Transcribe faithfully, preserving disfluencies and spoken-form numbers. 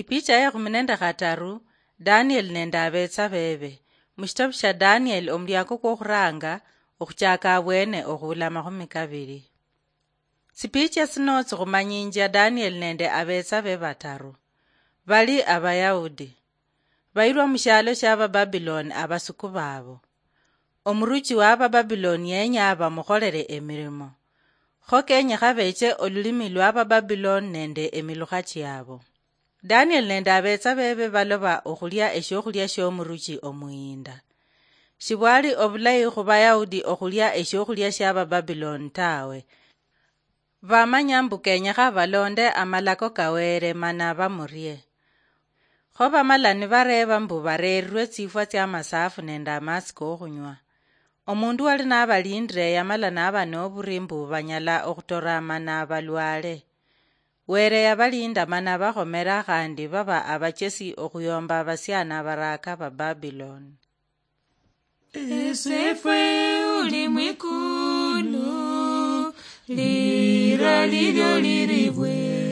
Ipicha ya ekhumi nende khataru. Danieli nende abetsa bebe. Mushitabu shia Danieli, omuliako kwokhuranga, okhuchaka abwene okhuula amakhumi kabiri. Tsipicha tsino tsikhumanyinjia Danieli nende abetsa be bataru. Bali Abayahudi. Bayirwa mushialo shia Abababiloni abasuku babo. Omuruchi wa Abababiloni yenya bamukholere emirimo. Kho kenyekha beche olulimi lwa Abababiloni nende emilukha chiabo. Danieli nende abetsa bebe baloba okhulia eshiokhulia shiomuruchi omuyinda. Shibwali obulayi khu Bayahudi okhulia eshiokhulia shia Abababiloni tawe. Bamanya mbu kenyekha balonde amalako ka Wele mana bamurie. Kho bamala nibareeba mbu bareerirwe tsifwa tsia masafu nende amatsi kokhunywa. Omundu wali nabalindire yamala naba noburi mbu banyala okhutora mana balwale. Wele yabalinda mana bakhomera khandi baba abachesi okhuyomba abasiani abaraaka ba Babiloni. Esefwe uli mwikulu, lira lilyo liribwe.